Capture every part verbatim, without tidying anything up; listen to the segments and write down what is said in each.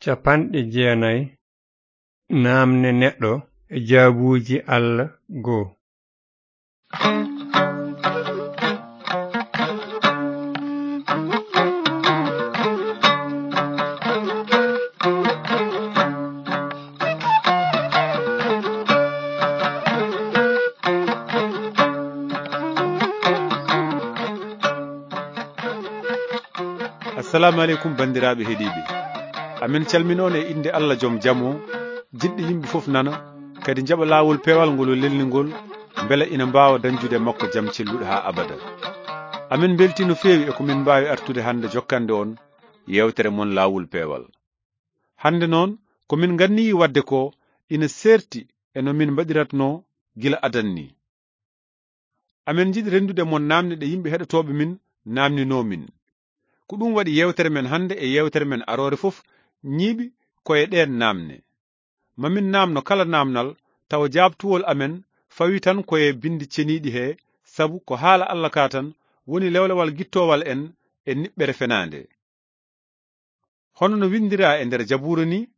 Capanɗe jeenayi. Naamne neɗɗo e jaabuuji Allah goo. Assalaamu aleykum, banndiraaɓe heɗiiɓe. Amen calmina on e innde Allah jom jam o, jiɗɗo yimɓe fof nana, kadi njaɓa laawol peewal ngol o lelni ngol, mbela ina mbaawa dañjude e makko jam celluɗo haa abada. Amen mbeltii no feewi e ko min mbaawi artude hannde jokkande on yeewtere mon laawol peewal. Hannde noon, ko min nganniyii waɗde ko ina seerti e no min mbaɗiratnoo gila adan ni. Amen njiɗi renndude mon naamne ɗe yimɓe heɗotooɓe min naamninoo min. Ko ɗum waɗi yeewtere men hannde e yeewtere men aroore fof ñiiɓi ko e ɗeen naamne. Ma min naamno kala naamnal, tawa jaabtuwol amen fawi tan ko e binndi ceniiɗi he, sabu ko haala Allah ka tan woni lewlewal gittoowal en e niɓɓere fenaande. Hono no winndiraa e nder Jabuura ni,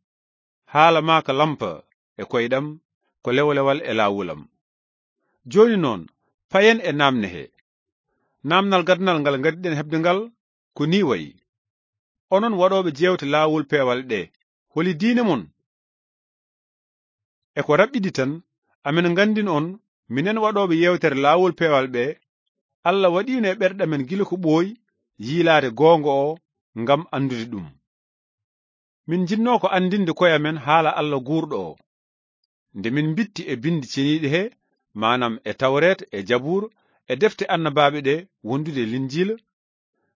haala maa ka lampa e koyɗam, ko lewlewal e laawulam. Jooni noon, payen e naamne he. Naamnal gadanal ngal ngadiɗen heɓde ngal ko nii wayi. Onon waɗooɓe jeewte laawol peewal ɗe, holi diine mon? E ko raɓɓiɗi tan, amen nganndin on, minen waɗooɓe yeewtere laawol peewal ɓe, Allah waɗiino e ɓerɗe amen gila ko ɓooyi yiilaade goonga o ngam anndude ɗum. Min njinnoo ko anndinde koye amen haala Allah guurɗo o. Nde min mbitti e binndi ceniiɗi he, maanam e Tawreeta, e Jabuur, e defte annabaaɓe ɗe wondude e Linjiila,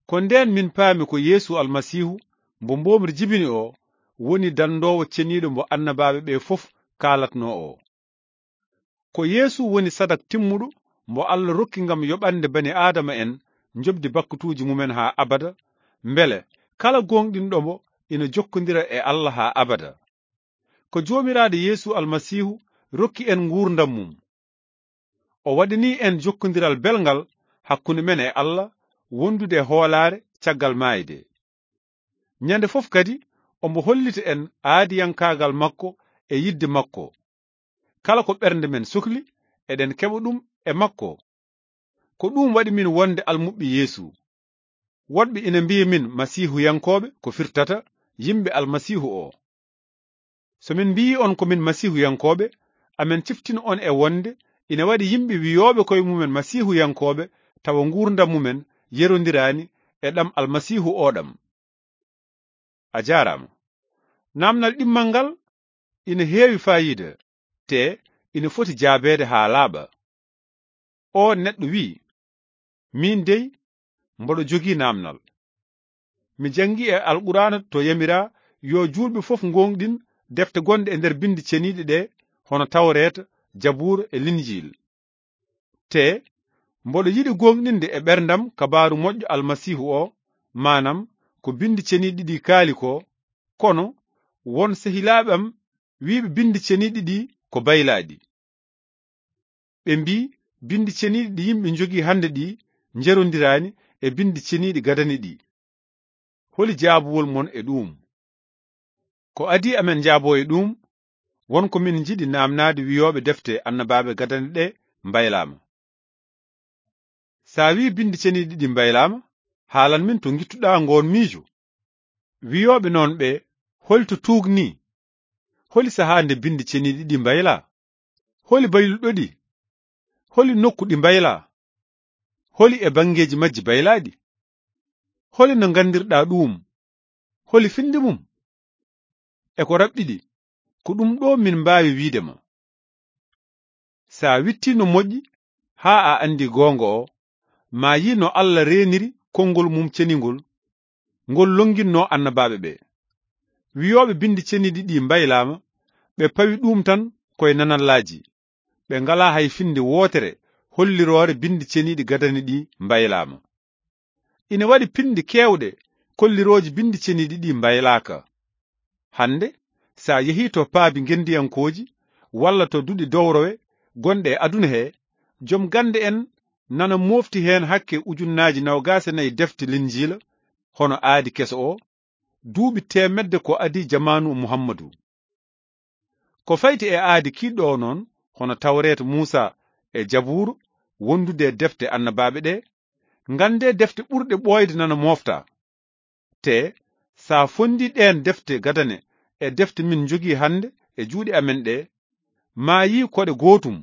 ko ndeen min paami ko Yeesu Almasiihu mbo mboomri jibini o woni danndoowo ceniiɗo mbo annabaaɓe ɓe fof kaalatnoo o. Ko Yeesu woni sadak timmuɗo mbo Allah rokki ngam yoɓande bani Aadama en njoɓdi bakkutuuji mumen haa abada, mbele kala gooŋɗinɗo mo ina jokkondira e Allah haa abada. Ko Joomiraaɗo Yeesu Almasiihu rokki en nguurndam mum. O waɗanii en jokkondiral belngal hakkunde men e Allah, wondude e hoolaare caggal maayde. Ñande fof kadi, omo hollita en aadiyankaagal makko e yiɗde makko. Kala ko ɓernde men sukli, eɗen keɓa ɗum e makko. Ko ɗum waɗi min wonde almuɓɓe Yeesu. Woɗɓe ina mbiya min Masiihuyankooɓe, ko firtata yimɓe Almasiihu o. So min mbiyii on ko min Masiihuyankooɓe, amen ciftina on e wonde ina waɗi yimɓe wiyooɓe koye mumen Masiihuyankooɓe, tawa nguurndam mumen yerondiraani e ɗam Almasiihu o ɗam. A jaaraama. Naamnal ɗimmal ngal ina heewi faayiida, te ina foti jaabeede haa laaɓa. O neɗɗo wi'i, "Miin dey, mboɗo jogii naamnal. Mi janngi e Alqur'aana to yamiraa yo juulɓe fof ngooŋɗin defte gonɗe e nder binndi ceniiɗe ɗe, hono Tawreeta, Jabuura e Linjiil. Te mboɗo yiɗi gooŋɗinde e ɓerndam kabaaru moƴƴo Almasiihu o, maanam ko binndi ceniiɗi ɗi kaali ko, kono won sehilaaɓe am wi'ɓe binndi ceniiɗi ɗi ko baylaaɗi. Ɓe mbii, binndi ceniiɗi ɗi yimɓe njogii hannde ɗi njerondiraani e binndi ceniiɗi gadani ɗi. Holi jaabuwol mon e ɗuum?" Ko adii amen njaaboo e ɗuum, won ko min njiɗi naamnaade wiyooɓe defte annabaaɓe gadane ɗe mbaylaama. So a wii binndi ceniiɗi ɗi mbaylaama, haalan min to ngittuɗaa ngoon miijo. Wiyooɓe noon ɓe, holi to tuugnii? Holi sahaa nde binndi ceniiɗi ɗi mbaylaa? Holi bayluɗo ɗi? Holi nokku ɗi mbaylaa? Holi e banngeeji majji baylaaɗi? Holi no nganndirɗaa ɗuum? Holi finnde mum? E ko raɓɓiɗi, ko ɗum ɗo min mbaawi wiide ma. So a wittii no moƴƴi, haa a anndi goonga o, ma yii no Allah reeniri konngol mum ceningol, ngol lonnginnoo annabaaɓe ɓe. Wiyooɓe binndi ceniiɗi ɗi mbaylaama, ɓe pawi ɗuum tan koye nanallaaji. Ɓe ngalaa hay finnde wootere holliroore binndi ceniiɗi gadani ɗi mbaylaama. Ina waɗi pinndi keewɗe kollirooji binndi ceniiɗi ɗi mbaylaaka. Hannde, so a yehii to paabi ngenndiyankooji walla to duɗe dowrowe gonɗe e aduna he, jom gannde en nana moofti heen hakke ujunnaaji noogaas e nayi defte Linjiila, hono aadi keso o, duuɓi teemedde ko adii jamaanu Muhammadu. Ko fayti e aadi kiiɗɗo o noon, hono Tawreeta Muusa e Jabuuru, wondude e defte annabaaɓe ɗe, nganndee defte ɓurɗe ɓooyde nana moofta. Te, so a fonndii ɗeen defte gadane e defte min njogii hannde e juuɗe amen ɗe, maa yii koɗe gootum.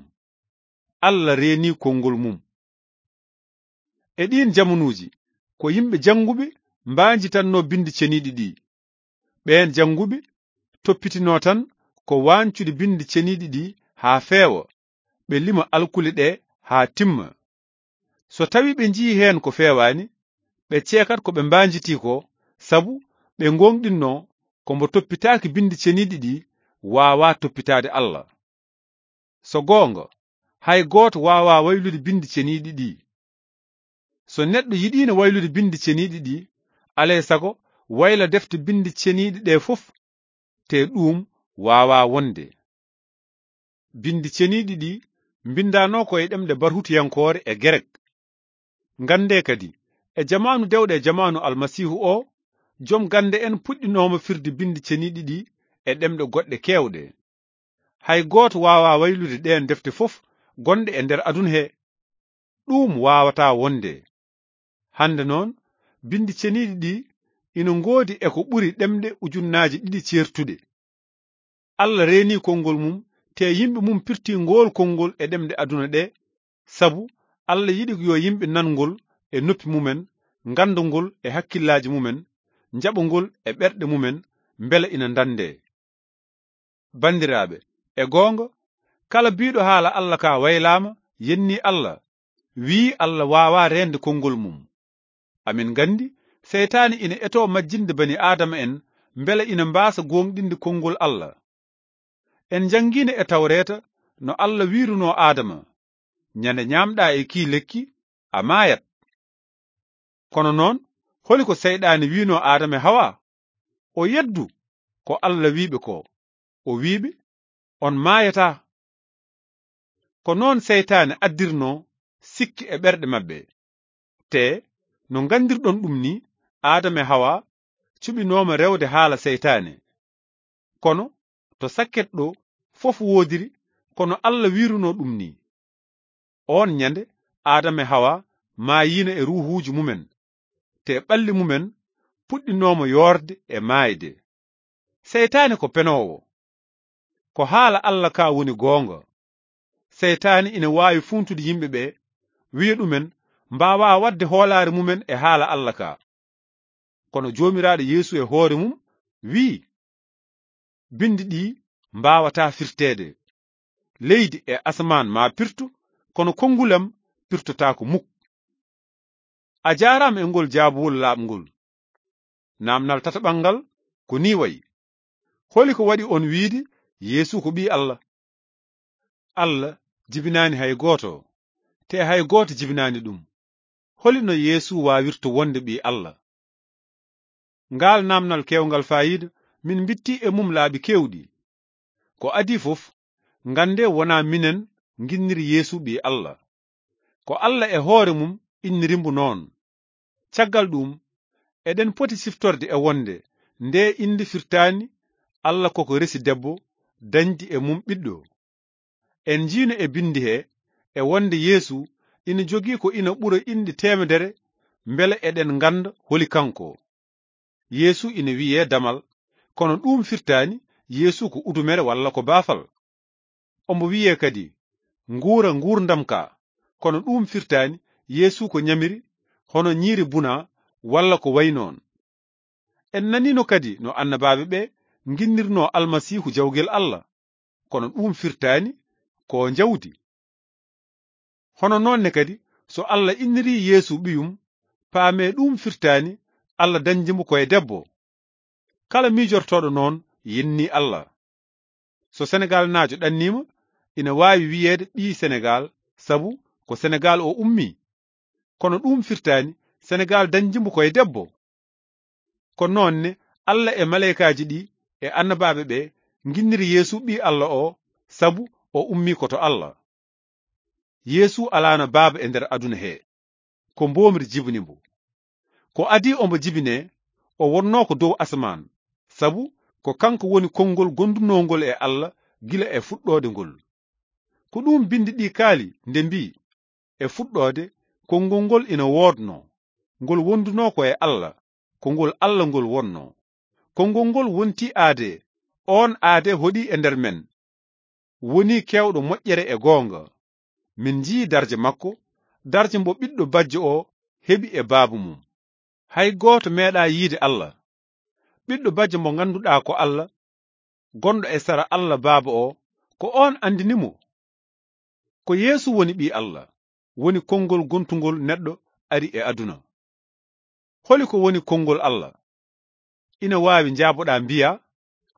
Alla reenii konngol mum. E ɗiin jamanuuji, ko yimɓe jannguɓe mbaanjitannoo binndi ceniiɗi ɗi. Ɓeen jannguɓe toppitinoo tan ko waancude binndi ceniiɗi ɗi haa feewa, ɓe lima alkule ɗe haa timma. So tawii ɓe njiyii heen ko feewaani, ɓe ceekat ko ɓe mbaanjitii ko, sabu ɓe ngoongɗinnoo ko mbo toppitaaki binndi ceniiɗi ɗi waawaa toppitaade Alla. So goonga, hay gooto waawaa waylude binndi ceniiɗi ɗi. So neɗɗo yiɗiino waylude binndi ceniiɗi ɗi, alaa e sago wayla defte binndi ceniiɗi ɗe fof, te ɗuum waawaa wonde. Binndi ceniiɗi ɗi mbinndaanoo ko e ɗemɗe barhutuyankoore e Gerek. Nganndee kadi, e jamaanu dewɗe e jamaanu Almasiihu o, jom gannde en puɗɗinooma firde binndi ceniiɗi ɗi e ɗemɗe goɗɗe keewɗe. Hay gooto waawaa waylude ɗeen defte fof gonɗe e nder aduna he. Ɗuum waawataa wonde. Hannde noon, binndi ceniiɗi ɗi ina ngoodi e ko ɓuri ɗemɗe ujunnaaji ɗiɗi ceertuɗe. Alla reenii konngol mum, te yimɓe mum pirtii ngool konngol e ɗemɗe aduna ɗe, sabu Alla yiɗi yo yimɓe nan ngol e noppi mumen, ngannda ngol e hakkillaaji mumen, njaɓa ngol e ɓerɗe mumen, mbela ina ndanndee. Banndiraaɓe, e goonga, kala biiɗo haala Alla ka waylaama, yennii Alla, wiyi Alla waawaa reende konngol mum. Amin nganndi, seytaane ina etoo majjinde bani Aadama en, mbela ina mbaasa goongɗinde konngol Alla. En njanngiino e Tawreeta no Alla wiirunoo Aadama, "Ñande ñaamɗaa e kii lekki, a maayat." Kono noon, holi ko seyɗaane wiinoo Aadama e Hawa? O yeddu ko Alla wiiɓe ko. O wiiɓe, "On maayataa." Ko noon seytaane addirnoo sikki e ɓerɗe maɓɓe. Te, no nganndirɗon ɗum ni, Aadama e Hawa cuɓinooma rewde haala seytaane. Kono, to sakket ɗo, fof woodiri, kono Alla wiirunoo ɗum ni. Oon ñande, Aadama e Hawa maayiino e ruuhuuji mumen, te ɓalli mumen puɗɗinooma yoorde e maayde. Seytaane ko penoowo. Ko haala Alla ka woni goonga. Seytaane ina waawi fuuntude yimɓe ɓe, wiya ɗumen mbaawaa waɗde hoolaare mumen e haala Alla ka. Kono Joomiraaɗo Yeesu e hoore mum wiyi, "Binndi ɗi mbaawataa firteede. Leydi e asamaan maa pirtu, kono konngol am pirtotaako muk." A jaaraama e ngol jaabuwol laaɓngol. Naamnal tataɓal ngal ko nii wayi: holi ko waɗi on wiide Yeesu ko Ɓii Alla? Alla jibinaani hay gooto, te hay gooto jibinaani ɗum. Holi no Yeesu waawirta wonde Ɓii Alla? Ngaal naamnal keewngal faayiida, min mbitti e mum laabi keewɗi. Ko adii fof, nganndee wonaa minen nginniri Yeesu Ɓii Alla. Ko Alla e hoore mum inniri mbo noon. Caggal ɗum, eɗen poti siftorde e wonde ndee innde firtaani Alla koko resi debbo, dañdi e mum ɓiɗɗo. En njiino e binndi he, e wonde Yeesu ina jogii ko ina ɓura inɗe teemedere, mbele eɗen ngannda holi kanko. Yeesu ina wiyee damal, kono ɗuum firtaani Yeesu ko udumere walla ko baafal. Omo wiyee kadi, nguura nguurndam ka, kono ɗuum firtaani Yeesu ko ñamiri, hono ñiiri buna walla ko wayi noon. En naniino kadi no annabaaɓe ɓe nginnirnoo Almasiihu jawgel Alla, kono ɗuum firtaani ko njawdi. Hono noon ne kadi, so Alla innirii Yeesu ɓiyum, paamee ɗuum firtaani Alla dañdi mo ko e debbo. Kala miijortooɗo noon yennii Alla. So Senegaalnaajo ɗanniima, ina waawi wiyeede ɓii Senegaal, sabu ko Senegaal o ummii. Kono ɗuum firtaani Senegaal dañdi mo ko e debbo. Ko noon ne Alla e maleykaaji ɗi e annabaaɓe ɓe nginniri Yeesu Ɓii Alla o, sabu o ummii ko to Alla. Yeesu alaano Baaba e nder aduna he. Ko mboomri jibini mbo. Ko adii omo jibinee, o wonnoo ko dow asamaan, sabu ko kanko woni konngol gondunoongol e Alla gila e fuɗɗoode ngol. Ko ɗum binndi ɗi kaali nde mbii, e fuɗɗoode, konngol ngol ina woodnoo, ngol wondunoo ko e Alla, ko ngol Alla ngol wonnoo. Konngol ngol wontii aadee, oon aadee hoɗi e nder men, woni keewɗo moƴƴere e goonga. Min njii darje makko, darje mbo ɓiɗɗo bajjo o heɓi e baaba mum. Hay gooto meeɗaa yiide Alla. Ɓiɗɗo bajjo mo ngannduɗaa ko Alla, gonɗo e sara Alla Baaba o, ko oon anndini mo. Ko Yeesu woni Ɓii Alla, woni konngol gontungol neɗɗo ari e aduna. Holi ko woni konngol Alla? Ina waawi njaaboɗaa mbiyaa,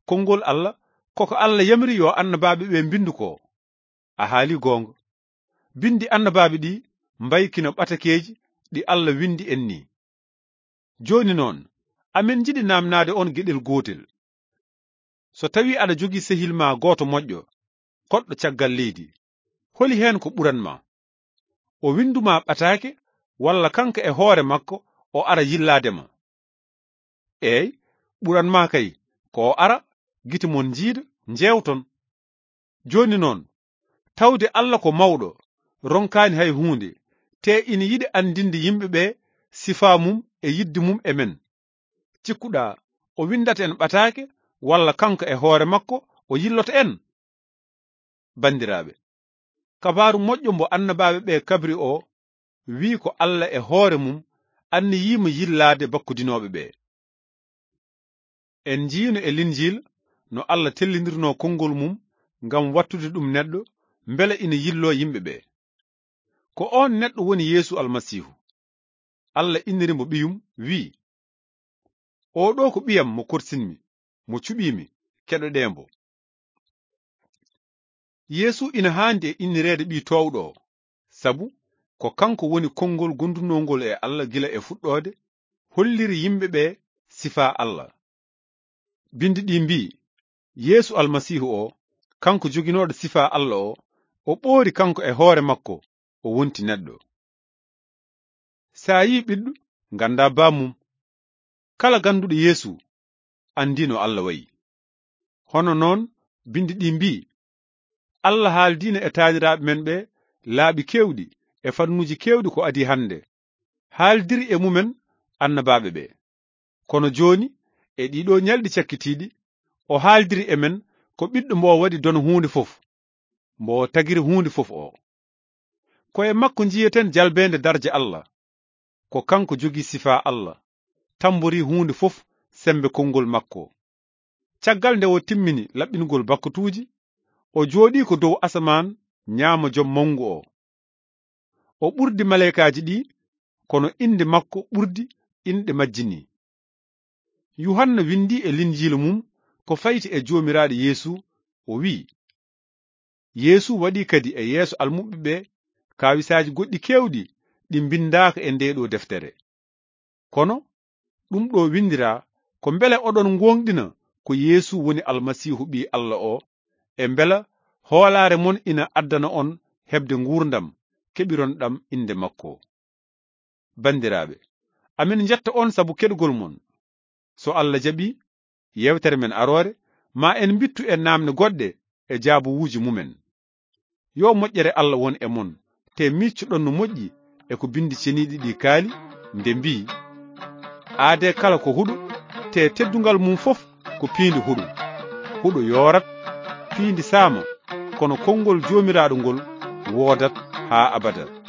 konngol Alla, koko Alla yamiri yo annabaaɓe ɓe mbinndu ko. A haali goonga. Binndi annabaaɓe ɗi mbayi kino ɓatakeeji ɗi Alla winndi en ni. Jooni noon, amin njiɗi naamnaade on geɗel gootel. So tawii aɗa jogii sehil ma gooto moƴƴo, koɗɗo caggal leydi, holi heen ko ɓuran ma? O winndu ma ɓataake, walla kanko e hoore makko o ara yillaade ma? Eey, ɓuran ma kay ko o ara, gite mon njiida, njeewton. Jooni noon, tawde Alla ko mawɗo, ronkaani hay huunde, te ina yiɗi anndinde yimɓe ɓe sifaa mum e yiɗde mum e men. Cikkuɗaa o winndata en ɓataake, walla kanko e hoore makko o yilloto en? Banndiraaɓe, kabaaru moƴƴo mbo annabaaɓe ɓe kabri o, wii ko Alla e hoore mum anniyii mo yillaade bakkudinooɓe ɓe. En njiino e Linjiila no Alla tellindirnoo konngol mum ngam wattude ɗum neɗɗo, mbele ina yilloo yimɓe ɓe. Ko oon neɗɗo woni Yeesu Almasiihu. Alla inniri mo ɓiyum, wii, "Oo ɗo ko ɓiyam mo korsinmi, mo cuɓiimi, keɗoɗee mbo." Yeesu ina haandi e innireede ɓii toowɗo o, sabu ko kanko woni konngol gondunoongol e Alla gila e fuɗɗoode, holliri yimɓe ɓe sifaa Alla. Binndi ɗi mbii, Yeesu Almasiihu o, kanko joginooɗo sifaa Alla o, o ɓoori kanko e hoore makko, o wonti neɗɗo. So a yii ɓiɗɗo, nganndaa bammum. Kala gannduɗo Yeesu anndii no Alla wayi. Hono noon, binndi ɗi mbii, Alla haaldiino e taaniraaɓe men ɓe laabi keewɗi e fannuuji keewɗi ko adii hannde, haaldiri e mumen annabaaɓe ɓe. Kono jooni, e ɗiɗo ñalɗi cakkitiiɗi, o haaldiri e men ko ɓiɗɗo mbo waɗi dono huunde fof, mbo tagiri huunde fof o. Ko e makko njiyeten jalbeende darja Alla. Ko kanko jogii sifaa Alla, tamborii huunde fof sembe konngol makko. Caggal nde o timmini laɓɓingol bakkatuuji, o jooɗii ko dow asamaan ñaamo Jom Mawngu o. O ɓurdi maleykaaji ɗi, kono innde makko ɓurdi inɗe majji ni. Yuhanna winndi e Linjiila mum ko fayti e Joomiraaɗo Yeesu, o wii, Yeesu waɗi kadi e yeeso almuɓɓe ɓe kaawisaaji goɗɗi keewɗi ɗi mbinndaaka e ndee ɗo deftere. Kono ɗum ɗo winndiraa ko mbele oɗon ngoongɗina ko Yeesu woni Almasiihu Ɓii Alla o, e mbela hoolaare mon ina addana on heɓde nguurndam keɓiron ɗam innde makko. Banndiraaɓe, amin njetta on sabu keɗugol mon. So Alla jaɓii, yeewtere men aroore, ma en mbittu e naamne goɗɗe e jaabuwuuji mumen. Yo moƴƴere Alla won e mon, te miccoɗon no moƴƴi e ko Binndi Ceniiɗi ɗi kaali, nde mbii, "Aadee kala ko huɗo, te teddungal mum fof ko piindi huɗo. Huɗo yoorat, piindi saama, kono konngol Joomiraaɗo ngol woodat haa abada."